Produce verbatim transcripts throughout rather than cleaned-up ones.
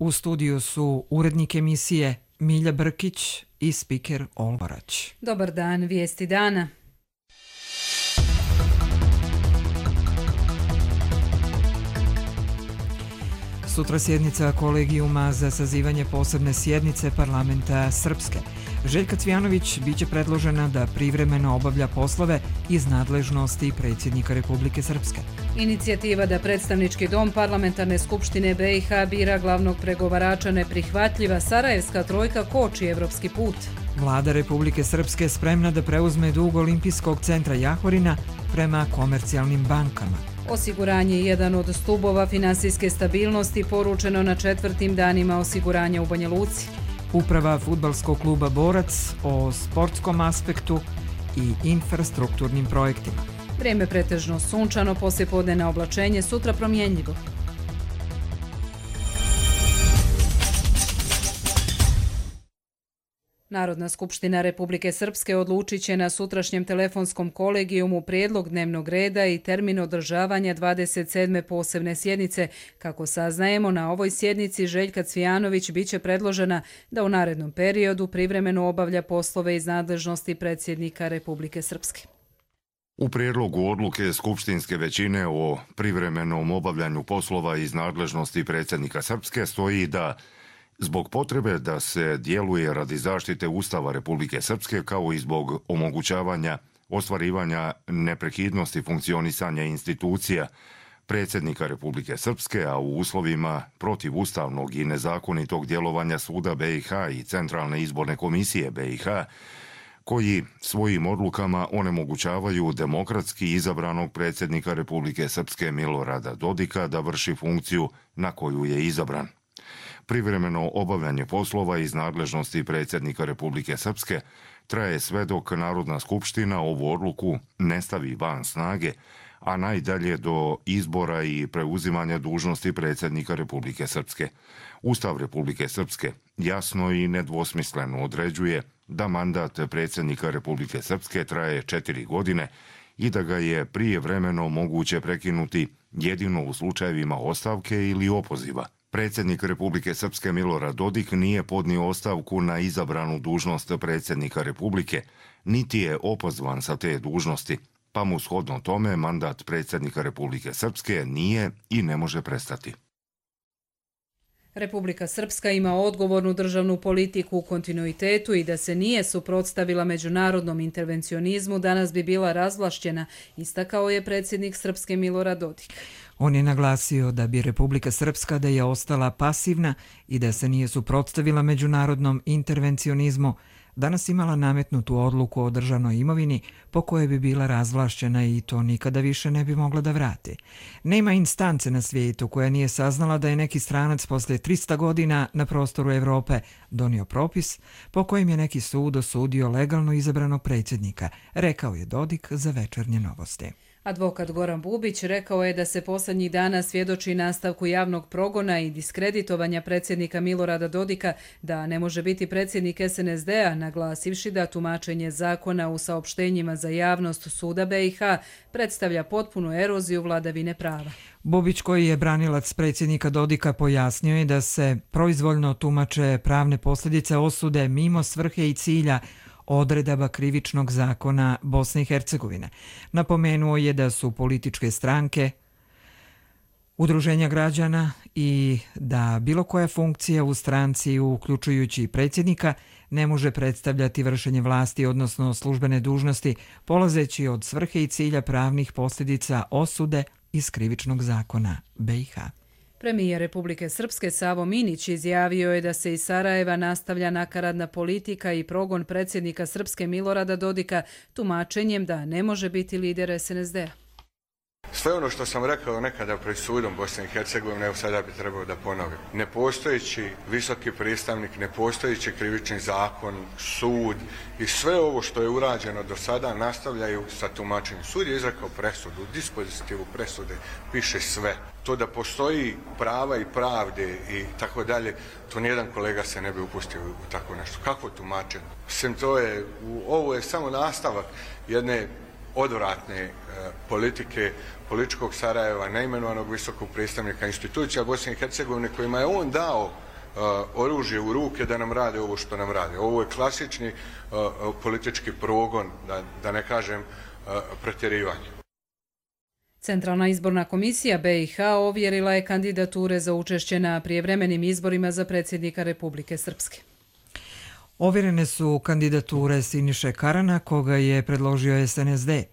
U studiju su urednik emisije Milja Brkić i spiker Olvarać. Dobar dan, vijesti dana. Sutra sjednica kolegijuma za sazivanje posebne sjednice parlamenta Srpske. Željka Cvijanović biće predložena da privremeno obavlja poslove iz nadležnosti predsjednika Republike Srpske. Inicijativa da predstavnički dom parlamentarne skupštine B i H bira glavnog pregovarača neprihvatljiva, Sarajevska trojka koči evropski put. Vlada Republike Srpske spremna da preuzme dug Olimpijskog centra Jahorina prema komercijalnim bankama. Osiguranje je jedan od stubova finansijske stabilnosti, poručeno na četvrtim danima osiguranja u Banja Luci. Uprava fudbalskog kluba Borac o sportskom aspektu i infrastrukturnim projektima. Vrijeme pretežno sunčano, poslijepodnevno oblačenje, sutra promjenjivo. Narodna skupština Republike Srpske odlučit će na sutrašnjem telefonskom kolegijumu prijedlog dnevnog reda i termin održavanja dvadeset sedme posebne sjednice. Kako saznajemo, na ovoj sjednici Željka Cvijanović biće predložena da u narednom periodu privremeno obavlja poslove iz nadležnosti predsjednika Republike Srpske. U prijedlogu odluke skupštinske većine o privremenom obavljanju poslova iz nadležnosti predsjednika Srpske stoji da zbog potrebe da se djeluje radi zaštite Ustava Republike Srpske kao i zbog omogućavanja ostvarivanja neprekidnosti funkcionisanja institucija predsjednika Republike Srpske, a u uslovima protivustavnog i nezakonitog djelovanja Suda B i H i Centralne izborne komisije B i H, koji svojim odlukama onemogućavaju demokratski izabranog predsjednika Republike Srpske Milorada Dodika da vrši funkciju na koju je izabran. Privremeno obavljanje poslova iz nadležnosti predsjednika Republike Srpske traje sve dok Narodna skupština ovu odluku ne stavi van snage, a najdalje do izbora i preuzimanja dužnosti predsjednika Republike Srpske. Ustav Republike Srpske jasno i nedvosmisleno određuje da mandat predsjednika Republike Srpske traje četiri godine i da ga je prijevremeno moguće prekinuti jedino u slučajevima ostavke ili opoziva. Predsjednik Republike Srpske Milorad Dodik nije podnio ostavku na izabranu dužnost predsjednika Republike, niti je opozvan sa te dužnosti, pa mu shodno tome mandat predsjednika Republike Srpske nije i ne može prestati. Republika Srpska ima odgovornu državnu politiku u kontinuitetu i da se nije suprotstavila međunarodnom intervencionizmu, danas bi bila razvlašćena, istakao je predsjednik Srpske Milorad Dodik. On je naglasio da bi Republika Srpska da je ostala pasivna i da se nije suprotstavila međunarodnom intervencionizmu, danas imala nametnutu odluku o državnoj imovini po kojoj bi bila razvlašćena i to nikada više ne bi mogla da vrati. Nema instance na svijetu koja nije saznala da je neki stranac poslije trista godina na prostoru Evrope donio propis po kojem je neki sud osudio legalno izabranog predsjednika, rekao je Dodik za Večernje novosti. Advokat Goran Bubić rekao je da se posljednjih dana svjedoči nastavku javnog progona i diskreditovanja predsjednika Milorada Dodika, da ne može biti predsjednik S N S D-a, naglasivši da tumačenje zakona u saopštenjima za javnost Suda B i H predstavlja potpunu eroziju vladavine prava. Bubić, koji je branilac predsjednika Dodika, pojasnio je da se proizvoljno tumače pravne posljedice osude mimo svrhe i cilja odredaba krivičnog zakona Bosne i Hercegovine. Napomenuo je da su političke stranke, udruženja građana i da bilo koja funkcija u stranci, uključujući predsjednika, ne može predstavljati vršenje vlasti, odnosno službene dužnosti, polazeći od svrhe i cilja pravnih posljedica osude iz krivičnog zakona B i H. Premijer Republike Srpske Savo Minić izjavio je da se iz Sarajeva nastavlja nakaradna politika i progon predsjednika Srpske Milorada Dodika tumačenjem da ne može biti lider S N S D-a. Sve ono što sam rekao nekada pred sudom Bosne i Hercegovine, evo sada bi trebao da ponovim. Nepostojeći visoki predstavnik, nepostojeći krivični zakon, sud i sve ovo što je urađeno do sada nastavljaju sa tumačenjem. Sud je izrekao presudu, u dispozitivu presude piše sve. To da postoji prava i pravde i tako dalje, to nijedan kolega se ne bi upustio u tako nešto. Kako tumačenje? Mislim, to je, ovo je samo nastavak jedne odvratne e, politike političkog Sarajeva, neimenovanog visokog predstavnika institucija Bosne i Hercegovine, kojima je on dao oružje u ruke da nam rade ovo što nam rade. Ovo je klasični politički progon, da, da ne kažem pretjerivanje. Centralna izborna komisija be i ha ovjerila je kandidature za učešće na prijevremenim izborima za predsjednika Republike Srpske. Ovjerene su kandidature Siniše Karana, koga je predložio es en es de,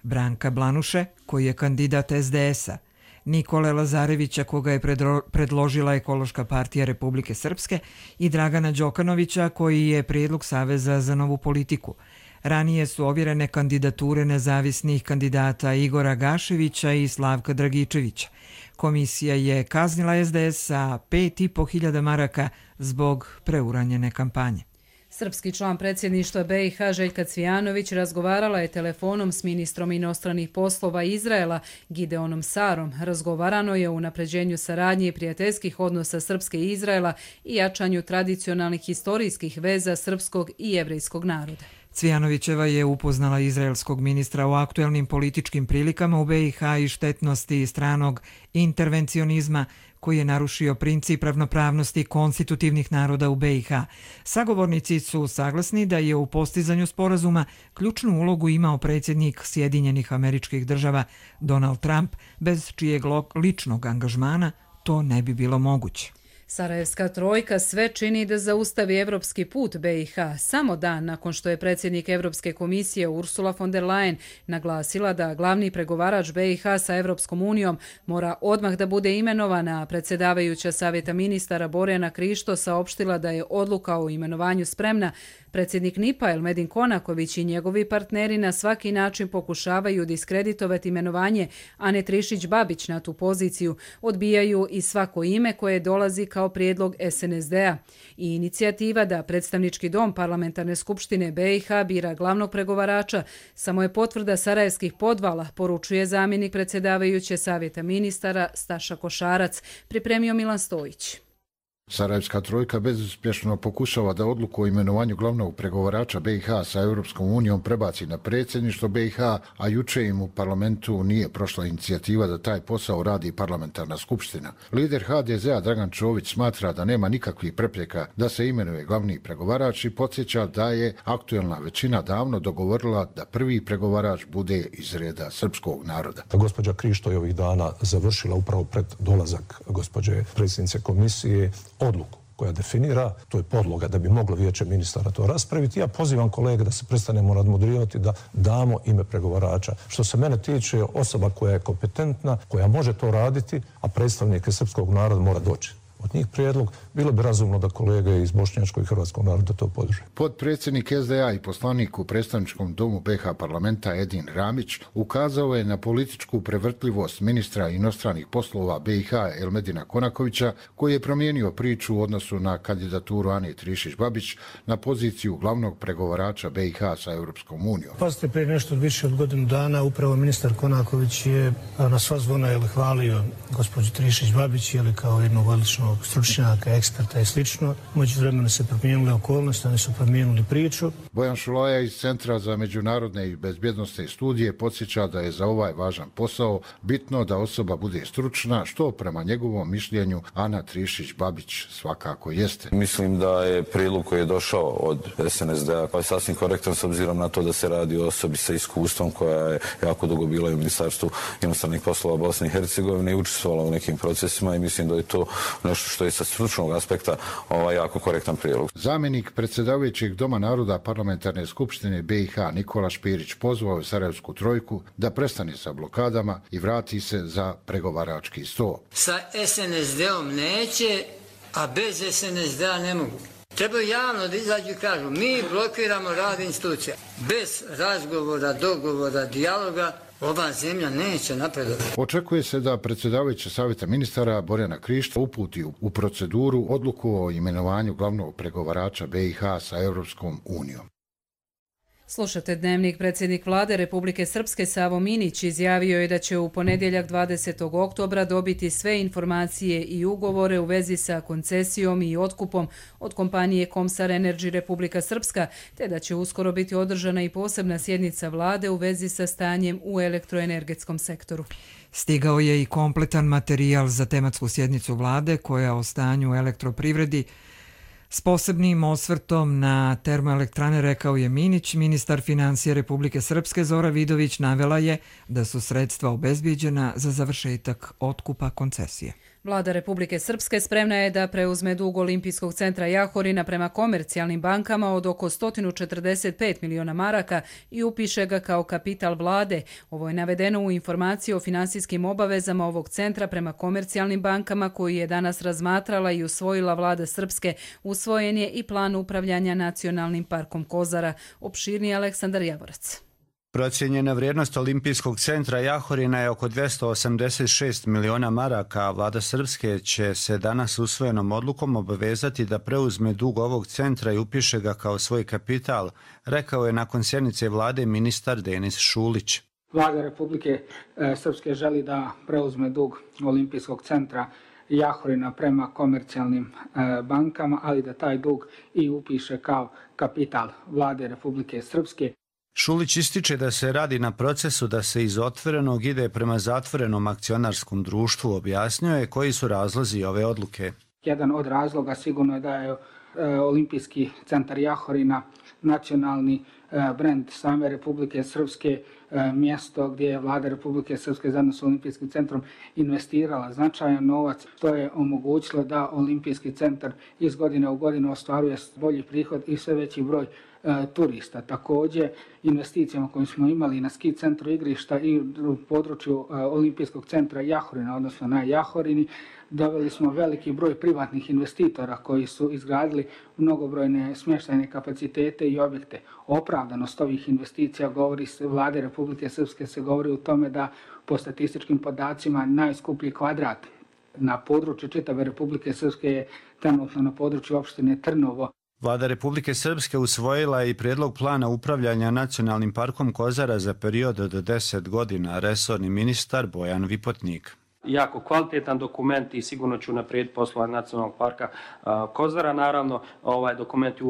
Branka Blanuše, koji je kandidat es de es-a, Nikole Lazarevića, koga je predložila Ekološka partija Republike Srpske, i Dragana Đokanovića, koji je prijedlog Saveza za novu politiku. Ranije su ovjerene kandidature nezavisnih kandidata Igora Gaševića i Slavka Dragičevića. Komisija je kaznila es de es sa pet i po hiljada maraka zbog preuranjene kampanje. Srpski član predsjedništva be i ha Željka Cvijanović razgovarala je telefonom s ministrom inostranih poslova Izraela Gideonom Sarom. Razgovarano je o unapređenju saradnje i prijateljskih odnosa Srpske i Izraela i jačanju tradicionalnih historijskih veza srpskog i jevrejskog naroda. Cvijanovićeva je upoznala izraelskog ministra o aktuelnim političkim prilikama u be i ha i štetnosti stranog intervencionizma koji je narušio princip ravnopravnosti konstitutivnih naroda u be i ha. Sagovornici su saglasni da je u postizanju sporazuma ključnu ulogu imao predsjednik Sjedinjenih Američkih Država Donald Trump, bez čijeg ličnog angažmana to ne bi bilo moguće. Sarajevska trojka sve čini da zaustavi evropski put be i ha samo dan nakon što je predsjednik Evropske komisije Ursula von der Leyen naglasila da glavni pregovarač be i ha sa Evropskom unijom mora odmah da bude imenovana. Predsjedavajuća savjeta ministara Borjana Krišto saopštila da je odluka o imenovanju spremna. Predsjednik en i pe a Elmedin Konaković i njegovi partneri na svaki način pokušavaju diskreditovati imenovanje Ane Trišić-Babić na tu poziciju, odbijaju i svako ime koje dolazi kao prijedlog es en es de-a. I inicijativa da predstavnički dom parlamentarne skupštine be i ha bira glavnog pregovarača samo je potvrda sarajevskih podvala, poručuje zamjenik predsjedavajuće savjeta ministara Staša Košarac, pripremio Milan Stojić. Sarajevska trojka bezuspješno pokušava da odluku o imenovanju glavnog pregovarača be i ha sa Europskom unijom prebaci na predsjedništvo be i ha, a juče im u parlamentu nije prošla inicijativa da taj posao radi parlamentarna skupština. Lider ha de ze-a Dragan Čović smatra da nema nikakvih prepreka da se imenuje glavni pregovarač i podsjeća da je aktuelna većina davno dogovorila da prvi pregovarač bude iz reda srpskog naroda. Gospođa Krišto je ovih dana završila upravo pred dolazak gospođe predsjednice komisije odluku koja definira, to je podloga da bi moglo vijeće ministara to raspraviti. Ja pozivam kolege da se prestanemo nadmudrivati, da damo ime pregovarača. Što se mene tiče, osoba koja je kompetentna, koja može to raditi, a predstavnike srpskog naroda mora doći od njih prijedlog, bilo bi razumno da kolege iz bošnjačkog i hrvatskog naroda to podrže. Podpredsjednik es de a i poslanik u predstavničkom domu be ha parlamenta Edin Ramić ukazao je na političku prevrtljivost ministra inostranih poslova be i ha Elmedina Konakovića, koji je promijenio priču u odnosu na kandidaturu Ane Trišić-Babić na poziciju glavnog pregovarača be i ha sa Europskom unijom. Pazite, prije nešto više od godinu dana upravo ministar Konaković je na sva zvona je hvalio gospođu Trišić-Babić je kao jednog odličnog stručnjaka, eksperta i slično. Umeđu vremena se promijenile okolnosti, oni su promijenili priču. Bojan Šulaja iz Centra za međunarodne i bezbjednosne studije podsjeća da je za ovaj važan posao bitno da osoba bude stručna, što prema njegovom mišljenju Ana Trišić-Babić svakako jeste. Mislim da je prijedlog koji je došao od es en es de-a pa je sasvim korektan s obzirom na to da se radi o osobi sa iskustvom koja je jako dugo bila u Ministarstvu inostranih poslova Bosne i Hercegovine i učestvovala u nekim procesima i mislim da je to nešto što je sa stručnog aspekta ovaj jako korektan prijedlog. Zamjenik predsjedavajućeg Doma naroda parlamentarne skupštine be i ha Nikola Špirić pozvao je Sarajevsku trojku da prestane sa blokadama i vrati se za pregovarački sto. Sa es en es de-om neće, a bez es en es de-a ne mogu. Trebaju javno da izađu i kažu mi blokiramo rad institucija. Bez razgovora, dogovora, dijaloga ova zemlja neće napredovati. Očekuje se da predsjedavajuća savjeta ministara Borjana Krišto uputi u proceduru odluku o imenovanju glavnog pregovarača be i ha sa Europskom unijom. Slušate Dnevnik. Predsjednik vlade Republike Srpske Savo Minić izjavio je da će u ponedjeljak dvadesetog oktobra dobiti sve informacije i ugovore u vezi sa koncesijom i otkupom od kompanije Komsar Energy Republika Srpska, te da će uskoro biti održana i posebna sjednica vlade u vezi sa stanjem u elektroenergetskom sektoru. Stigao je i kompletan materijal za tematsku sjednicu vlade koja o stanju u elektroprivredi s posebnim osvrtom na termoelektrane, rekao je Minić. Ministar financija Republike Srpske Zora Vidović navela je da su sredstva obezbijeđena za završetak otkupa koncesije. Vlada Republike Srpske spremna je da preuzme dug Olimpijskog centra Jahorina prema komercijalnim bankama od oko sto četrdeset pet miliona maraka i upiše ga kao kapital vlade. Ovo je navedeno u informaciji o finansijskim obavezama ovog centra prema komercijalnim bankama koji je danas razmatrala i usvojila vlada Srpske. Usvojen je i plan upravljanja Nacionalnim parkom Kozara. Opširniji Aleksandar Javorac. Procijenjena vrijednost Olimpijskog centra Jahorina je oko dvjesto osamdeset šest miliona maraka, a vlada Srpske će se danas usvojenom odlukom obavezati da preuzme dug ovog centra i upiše ga kao svoj kapital, rekao je nakon sjednice vlade ministar Denis Šulić. Vlada Republike Srpske želi da preuzme dug Olimpijskog centra Jahorina prema komercijalnim bankama, ali da taj dug i upiše kao kapital vlade Republike Srpske. Šulić ističe da se radi na procesu da se iz otvorenog ide prema zatvorenom akcionarskom društvu. Objasnio je koji su razlozi ove odluke. Jedan od razloga sigurno je da je Olimpijski centar Jahorina nacionalni brend same Republike Srpske, mjesto gdje je vlada Republike Srpske zajedno s Olimpijskim centrom investirala značajan novac. To je omogućilo da Olimpijski centar iz godine u godinu ostvaruje bolji prihod i sve veći broj turista. Također, investicijama koje smo imali na ski centru igrišta i u području Olimpijskog centra Jahorina, odnosno na Jahorini, doveli smo veliki broj privatnih investitora koji su izgradili mnogobrojne smještajne kapacitete i objekte. Opravdanost ovih investicija govori se vlade Republike Srpske se govori u tome da po statističkim podacima najskuplji kvadrat na području čitave Republike Srpske je trenutno na području opštine Trnovo. Vlada Republike Srpske usvojila je i prijedlog plana upravljanja Nacionalnim parkom Kozara za period od deset godina, resorni ministar Bojan Vipotnik. Jako kvalitetan dokument i sigurno ću naprijediti poslova Nacionalnog parka Kozara. Naravno, ovaj dokument je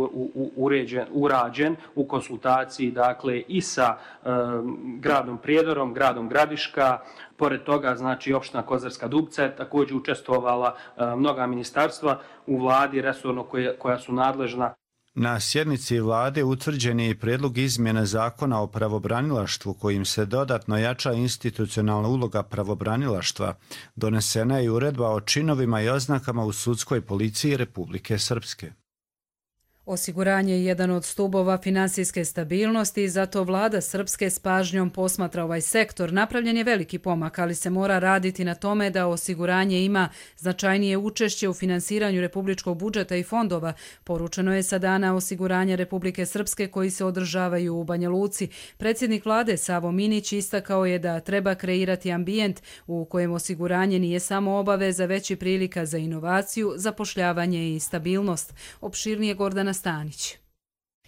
uređen, urađen u konsultaciji dakle, i sa e, gradom Prijedorom, gradom Gradiška. Pored toga, znači, opština Kozarska Dubca je također učestvovala e, mnoga ministarstva u vladi resorno koje, koja su nadležna. Na sjednici vlade utvrđen je i prijedlog izmjene zakona o pravobranilaštvu kojim se dodatno jača institucionalna uloga pravobranilaštva. Donesena je i uredba o činovima i oznakama u sudskoj policiji Republike Srpske. Osiguranje je jedan od stubova finansijske stabilnosti i zato vlada Srpske s pažnjom posmatra ovaj sektor. Napravljen je veliki pomak, ali se mora raditi na tome da osiguranje ima značajnije učešće u finansiranju republičkog budžeta i fondova. Poručeno je sa dana osiguranja Republike Srpske koji se održavaju u Banja Luci. Predsjednik vlade Savo Minić istakao je da treba kreirati ambijent u kojem osiguranje nije samo obaveza, već i prilika za inovaciju, zapošljavanje i stabilnost. Opširnije Gordana Stanić.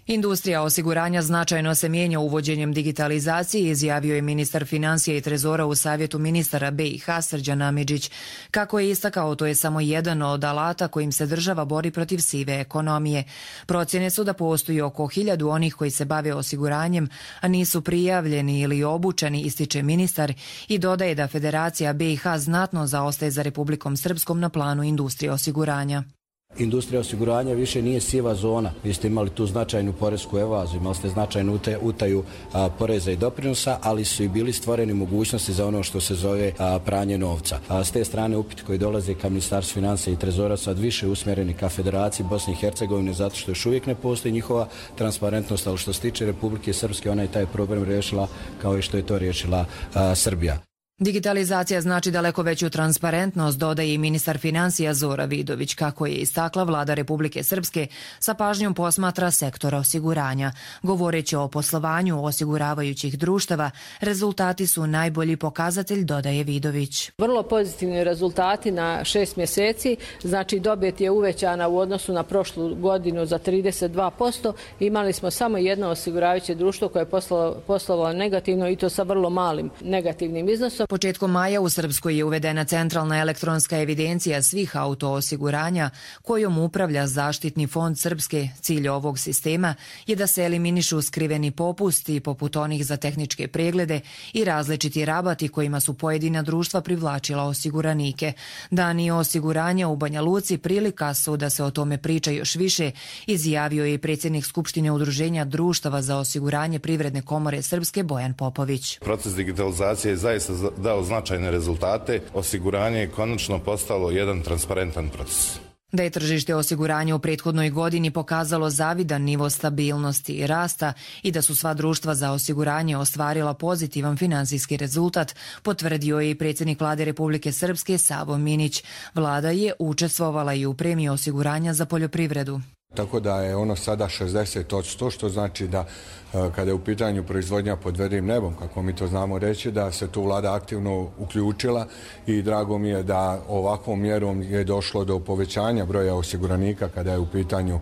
Industrija osiguranja značajno se mijenja uvođenjem digitalizacije, izjavio je ministar financija i trezora u savjetu ministara B i H Srđan Amidžić. Kako je istakao, to je samo jedan od alata kojim se država bori protiv sive ekonomije. Procjene su da postoji oko hiljadu onih koji se bave osiguranjem, a nisu prijavljeni ili obučeni, ističe ministar i dodaje da Federacija B i H znatno zaostaje za Republikom Srpskom na planu industrije osiguranja. Industrija osiguranja više nije siva zona. Vi ste imali tu značajnu poresku evaziju, imali ste značajnu utaju a, poreza i doprinosa, ali su i bili stvoreni mogućnosti za ono što se zove a, pranje novca. A, s te strane upiti koji dolaze ka Ministarstvu financija i trezora sad više usmjereni ka Federaciji Bosne i Hercegovine zato što još uvijek ne postoji njihova transparentnost, ali što se tiče Republike Srpske, ona je taj problem riješila kao i što je to riješila a, Srbija. Digitalizacija znači daleko veću transparentnost, dodaje i ministar financija Zora Vidović. Kako je istakla, vlada Republike Srpske sa pažnjom posmatra sektor osiguranja. Govoreći o poslovanju osiguravajućih društava, rezultati su najbolji pokazatelj, dodaje Vidović. Vrlo pozitivni rezultati na šest mjeseci, znači dobit je uvećana u odnosu na prošlu godinu za trideset dva posto. Imali smo samo jedno osiguravajuće društvo koje je poslovalo negativno i to sa vrlo malim negativnim iznosom. Početkom maja u Srpskoj je uvedena centralna elektronska evidencija svih autoosiguranja kojom upravlja Zaštitni fond Srpske. Cilj ovog sistema je da se eliminišu skriveni popusti poput onih za tehničke preglede i različiti rabati kojima su pojedina društva privlačila osiguranike. Dani osiguranja u Banja Luci prilika su da se o tome priča još više, izjavio je i predsjednik Skupštine Udruženja društava za osiguranje Privredne komore Srpske Bojan Popović. Proces digitalizacije je zaista dao značajne rezultate. Osiguranje je konačno postalo jedan transparentan proces. Da je tržište osiguranja u prethodnoj godini pokazalo zavidan nivo stabilnosti i rasta i da su sva društva za osiguranje ostvarila pozitivan finansijski rezultat, potvrdio je i predsjednik vlade Republike Srpske Savo Minić. Vlada je učestvovala i u premiji osiguranja za poljoprivredu. Tako da je ono sada šezdeset posto, što znači da kada je u pitanju proizvodnja pod vedrim nebom, kako mi to znamo reći, da se tu vlada aktivno uključila i drago mi je da ovakvom mjerom je došlo do povećanja broja osiguranika kada je u pitanju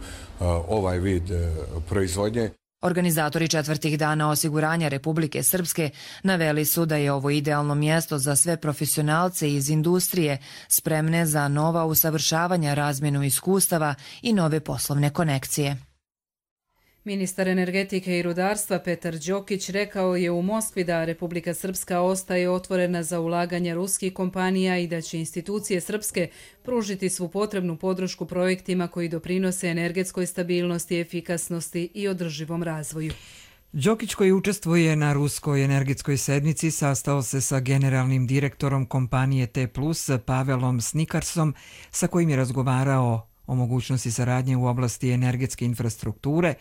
ovaj vid proizvodnje. Organizatori četvrtih dana osiguranja Republike Srpske naveli su da je ovo idealno mjesto za sve profesionalce iz industrije spremne za nova usavršavanja, razmjenu iskustava i nove poslovne konekcije. Ministar energetike i rudarstva Petar Đokić rekao je u Moskvi da Republika Srpska ostaje otvorena za ulaganje ruskih kompanija i da će institucije srpske pružiti svu potrebnu podršku projektima koji doprinose energetskoj stabilnosti, efikasnosti i održivom razvoju. Đokić, koji učestvuje na ruskoj energetskoj sednici, sastao se sa generalnim direktorom kompanije T plus Pavelom Snikarsom, sa kojim je razgovarao o mogućnosti saradnje u oblasti energetske infrastrukture,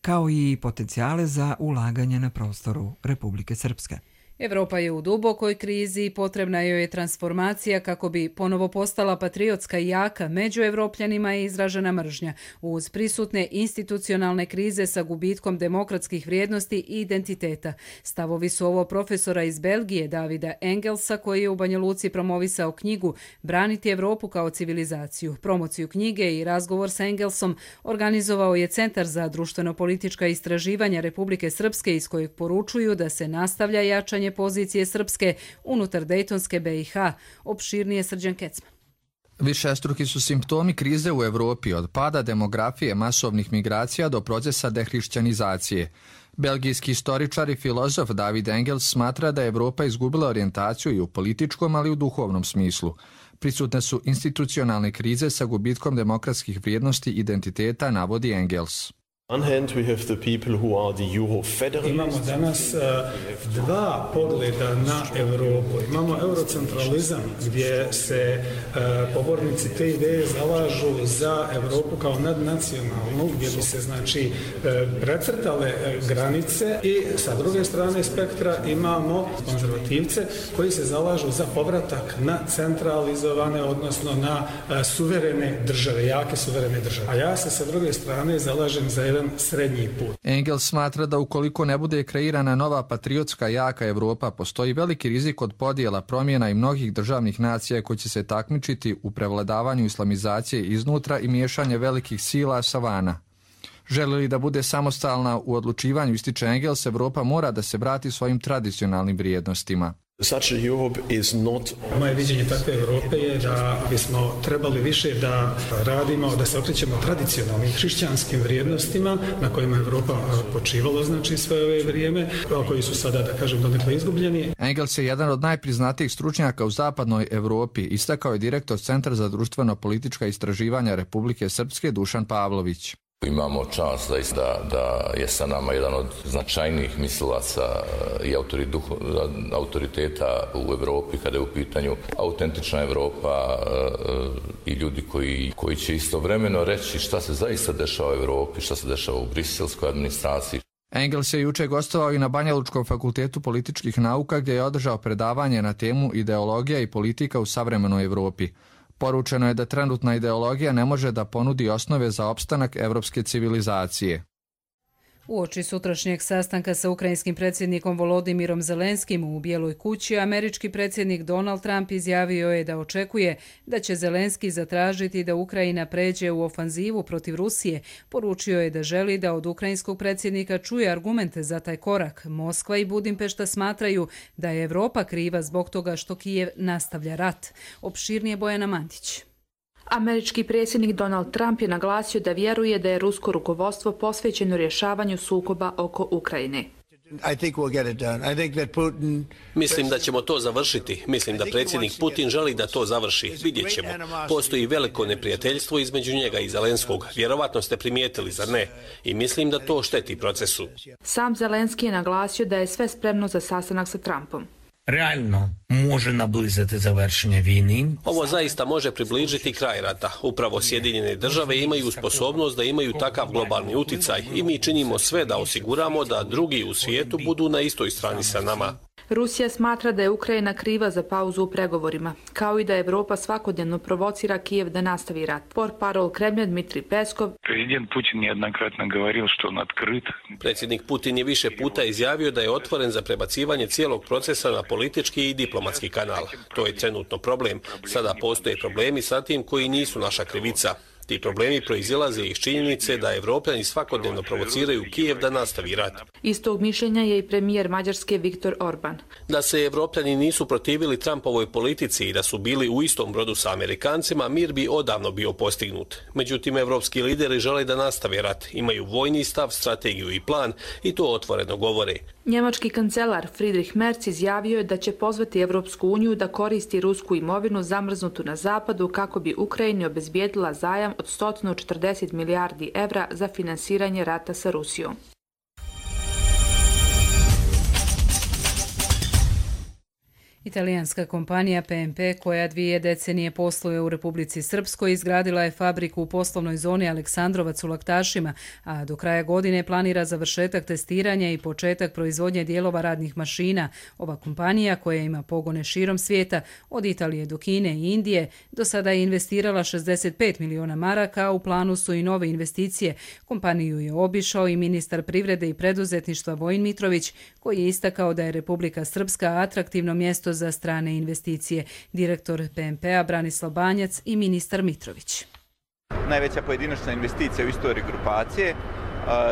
kao i potencijale za ulaganje na prostoru Republike Srpske. Evropa je u dubokoj krizi i potrebna joj je transformacija kako bi ponovo postala patriotska i jaka. Među Evropljanima je izražena mržnja uz prisutne institucionalne krize sa gubitkom demokratskih vrijednosti i identiteta. Stavovi su ovo profesora iz Belgije Davida Engelsa, koji je u Banja Luci promovisao knjigu Braniti Evropu kao civilizaciju. Promociju knjige i razgovor sa Engelsom organizovao je Centar za društveno-politička istraživanja Republike Srpske, iz kojeg poručuju da se nastavlja jačanje pozicije Srpske unutar Dejtonske B i H. Opširnije Srđan Kecman. Višestruki su simptomi krize u Evropi, od pada demografije, masovnih migracija do procesa dehrišćanizacije. Belgijski istoričar i filozof David Engels smatra da je Evropa izgubila orijentaciju i u političkom, ali i u duhovnom smislu. Prisutne su institucionalne krize sa gubitkom demokratskih vrijednosti i identiteta, navodi Engels. Imamo danas uh, dva pogleda na Europu. Imamo eurocentralizam gdje se uh, pobornici te ideje zalažu za Europu kao nadnacionalnu, gdje bi se znači uh, precrtale uh, granice, i sa druge strane spektra imamo konzervativce koji se zalažu za povratak na centralizovane, odnosno na uh, suverene države, jake suverene države. A ja se sa druge strane zalažem za jedan srednji put. Engels smatra da ukoliko ne bude kreirana nova patriotska jaka Evropa, postoji veliki rizik od podijela, promjena i mnogih državnih nacija koji će se takmičiti u prevladavanju islamizacije iznutra i miješanje velikih sila sa vana. Želi li da bude samostalna u odlučivanju, ističe Engels, Evropa mora da se vrati svojim tradicionalnim vrijednostima. Moje viđenje takve Evrope je da bismo trebali više da radimo, da se okrećemo tradicionalnim hrišćanskim vrijednostima na kojima je Evropa počivalo, znači sve ove vrijeme, koji su sada, da kažem, donekle izgubljeni. Engels je jedan od najpriznatijih stručnjaka u zapadnoj Evropi, istakao je direktor Centra za društveno-politička istraživanja Republike Srpske Dušan Pavlović. Imamo čast da, da je sa nama jedan od značajnijih mislilaca i autoriteta u Evropi kada je u pitanju autentična Evropa i ljudi koji, koji će istovremeno reći šta se zaista dešava u Evropi, šta se dešava u briselskoj administraciji. Engels je juče gostovao i na Banjalučkom fakultetu političkih nauka gdje je održao predavanje na temu ideologija i politika u savremenoj Evropi. Poručeno je da trenutna ideologija ne može da ponudi osnove za opstanak evropske civilizacije. Uoči sutrašnjeg sastanka sa ukrajinskim predsjednikom Volodimirom Zelenskim u Bijeloj kući, američki predsjednik Donald Trump izjavio je da očekuje da će Zelenski zatražiti da Ukrajina pređe u ofanzivu protiv Rusije. Poručio je da želi da od ukrajinskog predsjednika čuje argumente za taj korak. Moskva i Budimpešta smatraju da je Evropa kriva zbog toga što Kijev nastavlja rat. Opširnije Bojana Mandić. Američki predsjednik Donald Trump je naglasio da vjeruje da je rusko rukovodstvo posvećeno rješavanju sukoba oko Ukrajine. Mislim da ćemo to završiti. Mislim da predsjednik Putin želi da to završi. Vidjet ćemo. Postoji veliko neprijateljstvo između njega i Zelenskog. Vjerovatno ste primijetili, zar ne? I mislim da to šteti procesu. Sam Zelenski je naglasio da je sve spremno za sastanak sa Trumpom. Realno može nablizati završenje vojne. Ovo zaista može približiti kraj rata. Upravo Sjedinjene države imaju sposobnost da imaju takav globalni uticaj i mi činimo sve da osiguramo da drugi u svijetu budu na istoj strani sa nama. Rusija smatra da je Ukrajina kriva za pauzu u pregovorima, kao i da Evropa svakodnevno provocira Kijev da nastavi rat. Portparol Kremlja Dmitrij Peskov. Predsjednik Putin nejednokratno govorio što on otkrit. Predsjednik Putin je više puta izjavio da je otvoren za prebacivanje cijelog procesa na politički i diplomatski kanal. To je trenutno problem. Sada postoje problemi sa tim koji nisu naša krivica. Ti problemi proizilaze iz činjenice da Evropljani svakodnevno provociraju Kijev da nastavi rat. Istog mišljenja je i premijer Mađarske Viktor Orban. Da se Evropljani nisu protivili Trumpovoj politici i da su bili u istom brodu sa Amerikancima, mir bi odavno bio postignut. Međutim, evropski lideri žele da nastave rat, imaju vojni stav, strategiju i plan i to otvoreno govore. Njemački kancelar Friedrich Merz izjavio je da će pozvati Evropsku uniju da koristi rusku imovinu zamrznutu na zapadu kako bi Ukrajini obezbijedila zajam od sto četrdeset milijardi evra za finansiranje rata sa Rusijom. Italijanska kompanija P M P, koja dvije decenije posluje u Republici Srpskoj, izgradila je fabriku u poslovnoj zoni Aleksandrovac u Laktašima, a do kraja godine planira završetak testiranja i početak proizvodnje dijelova radnih mašina. Ova kompanija, koja ima pogone širom svijeta, od Italije do Kine i Indije, do sada je investirala šezdeset pet miliona maraka, a u planu su i nove investicije. Kompaniju je obišao i ministar privrede i preduzetništva Vojin Mitrović, koji je istakao da je Republika Srpska atraktivno mjesto za strane investicije. Direktor P M P-a Branislav Banjac i ministar Mitrović. Najveća pojedinačna investicija u istoriji grupacije.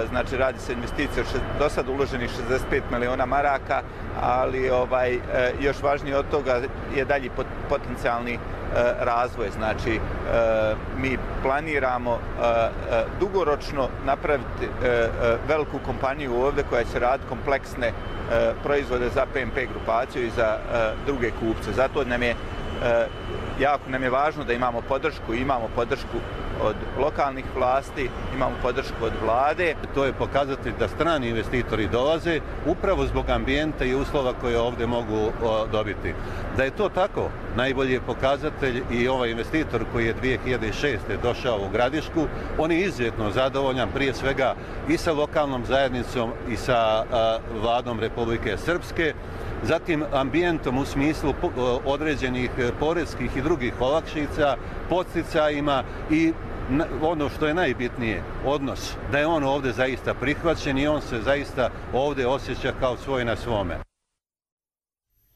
Znači, radi se investicija do sad uloženih šezdeset pet miliona maraka, ali ovaj, još važnije od toga je dalji potencijalni razvoj. Znači, mi planiramo dugoročno napraviti veliku kompaniju ovdje koja će raditi kompleksne proizvode za P M P grupaciju i za druge kupce. Zato nam je jako nam je važno da imamo podršku, imamo podršku od lokalnih vlasti, imamo podršku od vlade. To je pokazatelj da strani investitori dolaze upravo zbog ambijenta i uslova koje ovdje mogu dobiti. Da je to tako, najbolji je pokazatelj i ovaj investitor koji je dvije hiljade šeste. došao u Gradišku. On je izuzetno zadovoljan prije svega i sa lokalnom zajednicom i sa vladom Republike Srpske. Zatim ambijentom u smislu određenih poreskih i drugih olakšica, podsticajima i ono što je najbitnije, odnos, da je on ovdje zaista prihvaćen i on se zaista ovdje osjeća kao svoj na svome.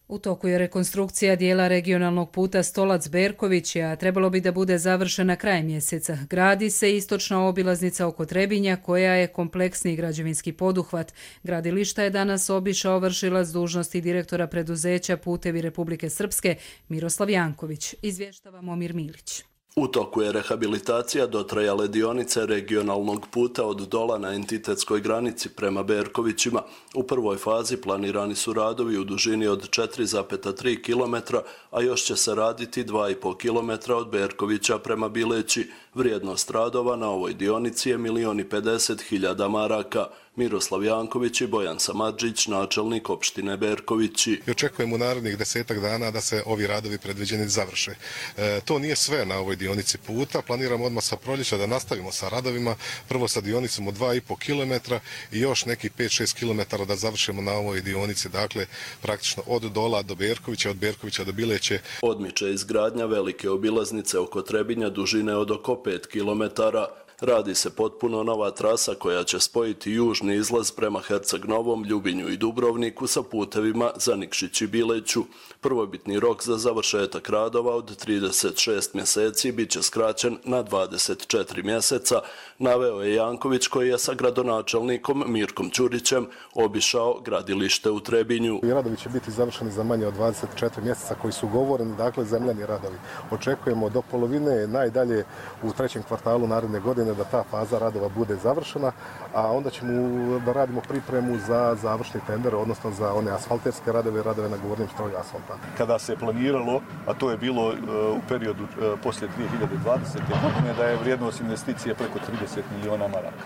U toku je rekonstrukcija dijela regionalnog puta Stolac-Berković, a trebalo bi da bude završena kraj mjeseca. Gradi se istočna obilaznica oko Trebinja, koja je kompleksni građevinski poduhvat. Gradilišta je danas obišao vršilac dužnosti direktora preduzeća Putevi Republike Srpske Miroslav Janković. Izvještava Momir Milić. U toku je rehabilitacija dotrajale dionice regionalnog puta od Dola na entitetskoj granici prema Berkovićima. U prvoj fazi planirani su radovi u dužini od četiri zarez tri kilometra, a još će se raditi dva i po kilometra od Berkovića prema Bileći. Vrijednost radova na ovoj dionici je milion i pedeset hiljada maraka. Miroslav Janković i Bojan Samardžić, načelnik opštine Berkovići. I očekujemo u narednih desetak dana da se ovi radovi predviđeni završe. E, to nije sve na ovoj dionici puta. Planiramo odmah sa proljeća da nastavimo sa radovima. Prvo sa dionicom od dva i po kilometra i još neki pet šest kilometara da završimo na ovoj dionici. Dakle, praktično od Dola do Berkovića, od Berkovića do Bileće. Odmiče izgradnja velike obilaznice oko Trebinja dužine od oko pet kilometara. Radi se potpuno nova trasa koja će spojiti južni izlaz prema Herceg Novom, Ljubinju i Dubrovniku sa putevima za Nikšić i Bileću. Prvobitni rok za završetak radova od trideset šest mjeseci bit će skraćen na dvadeset četiri mjeseca, naveo je Janković koji je sa gradonačelnikom Mirkom Ćurićem obišao gradilište u Trebinju. Radovi će biti završeni za manje od dvadeset četiri mjeseca koji su ugovoreni, dakle zemljani radovi. Očekujemo do polovine, najdalje u trećem kvartalu naredne godine da ta faza radova bude završena, a onda ćemo da radimo pripremu za završni tender, odnosno za one asfalterske radove, radove na govornim stroju asfalta. Kada se planiralo, a to je bilo uh, u periodu uh, poslije dvije hiljade dvadesete. godine, da je vrijednost investicije preko trideset miliona maraka.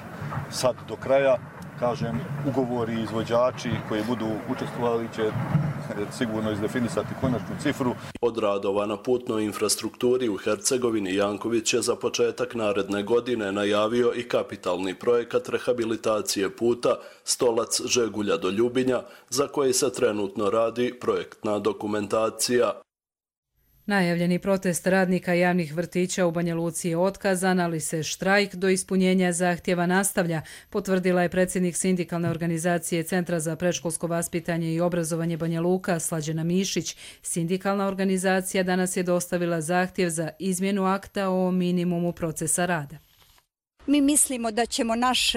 Sad do kraja, kažem, ugovori i izvođači koji budu učestvovali će sigurno izdefinisati konačnu cifru. Od radova na putnoj infrastrukturi u Hercegovini Janković je za početak naredne godine najavio i kapitalni projekat rehabilitacije puta Stolac Žegulja do Ljubinja, za koji se trenutno radi projektna dokumentacija. Najavljeni protest radnika javnih vrtića u Banja Luci je otkazan, ali se štrajk do ispunjenja zahtjeva nastavlja, potvrdila je predsjednik sindikalne organizacije Centra za predškolsko vaspitanje i obrazovanje Banja Luka, Slađana Mišić. Sindikalna organizacija danas je dostavila zahtjev za izmjenu akta o minimumu procesa rada. Mi mislimo da ćemo naš,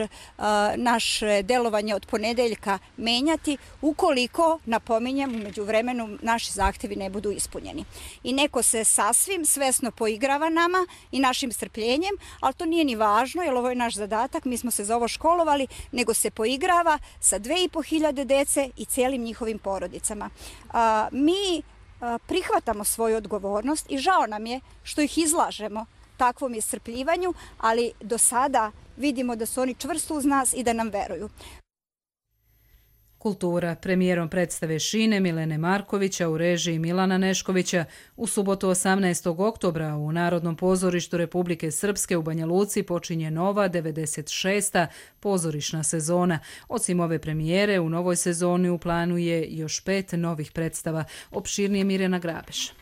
naše delovanje od ponedeljka menjati ukoliko, napominjem, u međuvremenu naši zahtjevi ne budu ispunjeni. I neko se sasvim svesno poigrava nama i našim strpljenjem, ali to nije ni važno jer ovo je naš zadatak, mi smo se za ovo školovali, nego se poigrava sa dve i po hiljade dece i cijelim njihovim porodicama. Mi prihvatamo svoju odgovornost i žao nam je što ih izlažemo takvom iscrpljivanju, ali do sada vidimo da su oni čvrsto uz nas i da nam veruju. Kultura. Premijerom predstave Šine Milene Markovića u režiji Milana Neškovića u subotu osamnaestog oktobra u Narodnom pozorištu Republike Srpske u Banja Luci počinje nova devedeset šesta pozorišna sezona. Osim ove premijere, u novoj sezoni u planu je još pet novih predstava. Opširnije Mirjana Grabeš.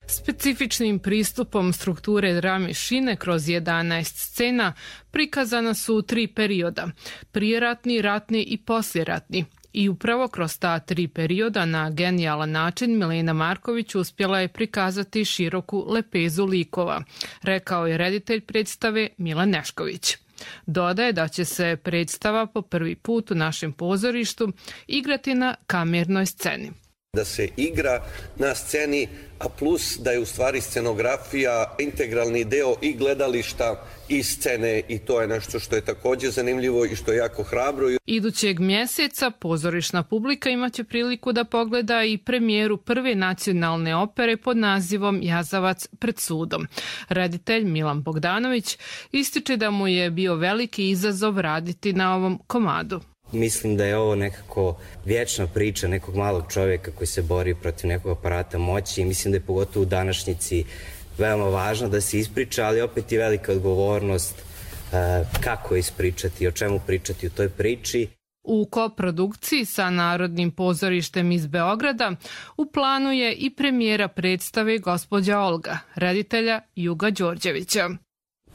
Specifičnim pristupom strukture drame Šine kroz jedanaest scena prikazana su tri perioda, prijeratni, ratni i posljeratni. I upravo kroz ta tri perioda na genijalan način Milena Marković uspjela je prikazati široku lepezu likova, rekao je reditelj predstave Milan Nešković. Dodaje da će se predstava po prvi put u našem pozorištu igrati na kamernoj sceni. Da se igra na sceni, a plus da je u stvari scenografija integralni deo i gledališta i scene i to je nešto što je također zanimljivo i što je jako hrabro. Idućeg mjeseca pozorišna publika imaće priliku da pogleda i premijeru prve nacionalne opere pod nazivom Jazavac pred sudom. Reditelj Milan Bogdanović ističe da mu je bio veliki izazov raditi na ovom komadu. Mislim da je ovo nekako vječna priča nekog malog čovjeka koji se bori protiv nekog aparata moći i mislim da je pogotovo u današnjici veoma važno da se ispriča, ali opet je velika odgovornost kako ispričati, o čemu pričati u toj priči. U koprodukciji sa Narodnim pozorištem iz Beograda u planu je i premijera predstave Gospođa Olga, reditelja Juga Đorđevića.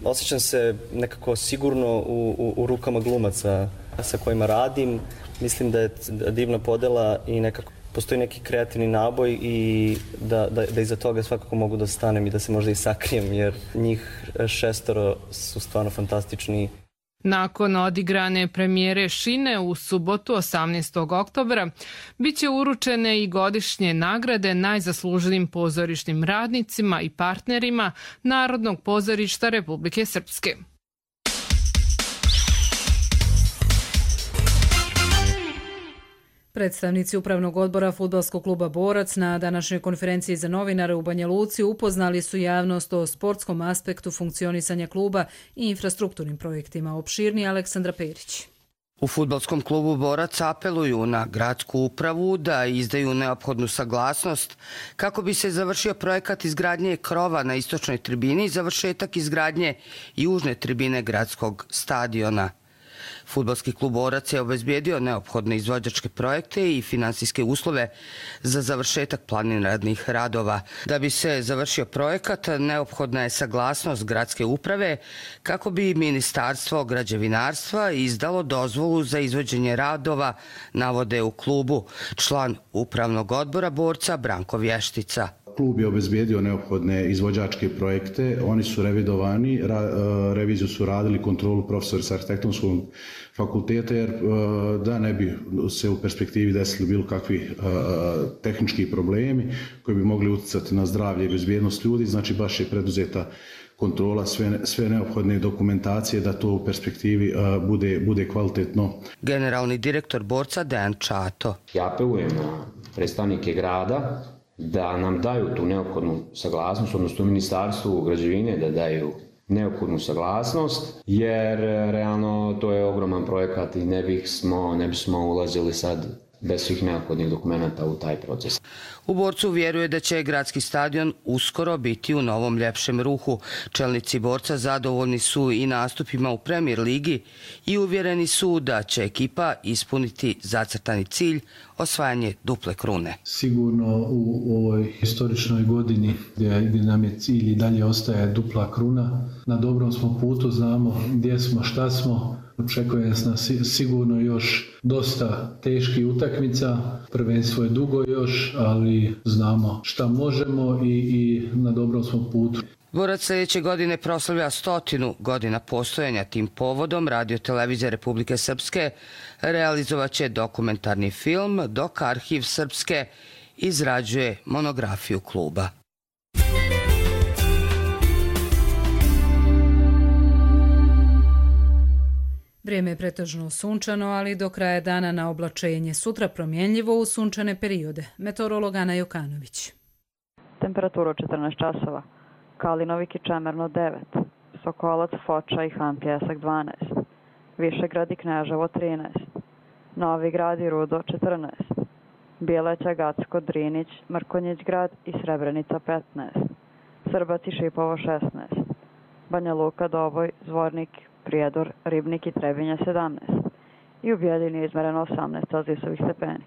Osjećam se nekako sigurno u, u, u rukama glumaca sa kojima radim. Mislim da je divna podela i nekako postoji neki kreativni naboj i da, da, da iza toga svakako mogu da stanem i da se možda i sakrijem, jer njih šestoro su stvarno fantastični. Nakon odigrane premijere Šine u subotu osamnaestog oktobra biće uručene i godišnje nagrade najzasluženijim pozorišnim radnicima i partnerima Narodnog pozorišta Republike Srpske. Predstavnici Upravnog odbora Fudbalskog kluba Borac na današnjoj konferenciji za novinare u Banja Luci upoznali su javnost o sportskom aspektu funkcionisanja kluba i infrastrukturnim projektima. Opširnije Aleksandra Perić. U Fudbalskom klubu Borac apeluju na gradsku upravu da izdaju neophodnu saglasnost kako bi se završio projekat izgradnje krova na istočnoj tribini i završetak izgradnje južne tribine gradskog stadiona. Fudbalski klub Borac je obezbijedio neophodne izvođačke projekte i finansijske uslove za završetak planiranih radova. Da bi se završio projekat, neophodna je saglasnost gradske uprave kako bi Ministarstvo građevinarstva izdalo dozvolu za izvođenje radova, navode u klubu član Upravnog odbora Borca Branko Vještica. Klub je obezbijedio neophodne izvođačke projekte, oni su revidovani, ra, reviziju su radili kontrolu profesori s arhitektonskog fakulteta, jer da ne bi se u perspektivi desili bilo kakvi tehnički problemi koji bi mogli utjecati na zdravlje i bezbjednost ljudi, znači baš je preduzeta kontrola sve, sve neophodne dokumentacije da to u perspektivi uh, bude, bude kvalitetno. Generalni direktor Borca Dejan Čato. Ja apelujem na predstavnike grada da nam daju tu neophodnu saglasnost, odnosno Ministarstvu građevine da daju neophodnu saglasnost, jer realno to je ogroman projekat i ne bismo, ne bismo ulazili sad bez svih neophodnih dokumenta u taj proces. U Borcu vjeruje da će gradski stadion uskoro biti u novom ljepšem ruhu. Čelnici Borca zadovoljni su i nastupima u Premier ligi i uvjereni su da će ekipa ispuniti zacrtani cilj osvajanje duple krune. Sigurno u ovoj historičnoj godini gdje, gdje nam je cilj i dalje ostaje dupla kruna, na dobrom smo putu, znamo gdje smo, šta smo. Očekuje nas sigurno još dosta teških utakmica, prvenstvo je dugo još, ali znamo šta možemo i, i na dobrom smo putu. Borac sljedeće godine proslavlja stotinu godina postojanja. Tim povodom Radio Televizija Republike Srpske realizovat će dokumentarni film, dok Arhiv Srpske izrađuje monografiju kluba. Vrijeme je pretežno sunčano, ali do kraja dana na oblačenje. Sutra promjenljivo u sunčane periode. Meteorolog Ana Jokanović. Temperatura četrnaest časova. Kalinovik i Čemerno devet. Sokolac, Foča i Han Pjesak dvanaest. Višegrad i Kneževo trinaest. Novi Grad i Rudo četrnaest. Bijeleća, Gacko, Drinić, Mrkonjić grad i Srebrenica petnaest. Srbac i Šipovo šesnaest. Banja Luka, Doboj, Zvornik, Prijedor, Ribnik i Trebinje sedamnaest. I u Bijeljini je izmereno osamnaest Celzijusovih stepeni.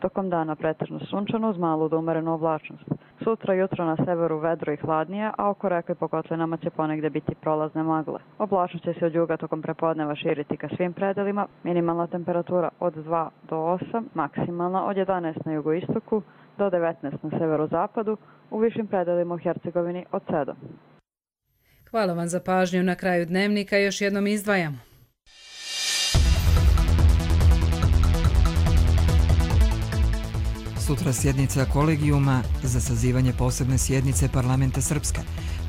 Tokom dana pretežno sunčano uz malu do umerenu oblačnost. Sutra jutro na severu vedro i hladnije, a oko reke po kotlinama će ponegde biti prolazne magle. Oblačnost će se od juga tokom prepodneva širiti ka svim predelima. Minimalna temperatura od dva do osam, maksimalna od jedanaest na jugoistoku do devetnaest na severozapadu, u višim predelima u Hercegovini od sedam. Hvala vam za pažnju. Na kraju dnevnika još jednom izdvajamo. Sutra sjednica kolegijuma za sazivanje posebne sjednice Parlamenta Srpske.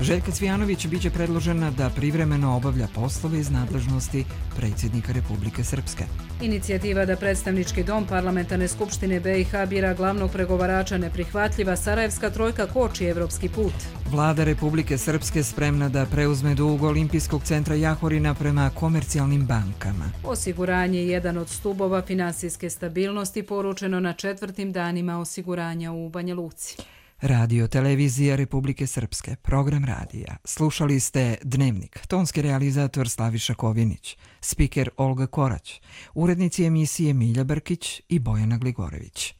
Željka Cvijanović biće predložena da privremeno obavlja poslove iz nadležnosti predsjednika Republike Srpske. Inicijativa da predstavnički dom Parlamentarne skupštine B i H bira glavnog pregovarača neprihvatljiva, Sarajevska trojka koči evropski put. Vlada Republike Srpske spremna da preuzme dug Olimpijskog centra Jahorina prema komercijalnim bankama. Osiguranje je jedan od stubova finansijske stabilnosti, poručeno na četvrtim danima osiguranja u Banja Luci. Radio Televizija Republike Srpske, program radija. Slušali ste Dnevnik, tonski realizator Slaviša Kovinić, spiker Olga Korać, urednici emisije Milja Brkić i Bojana Gligorević.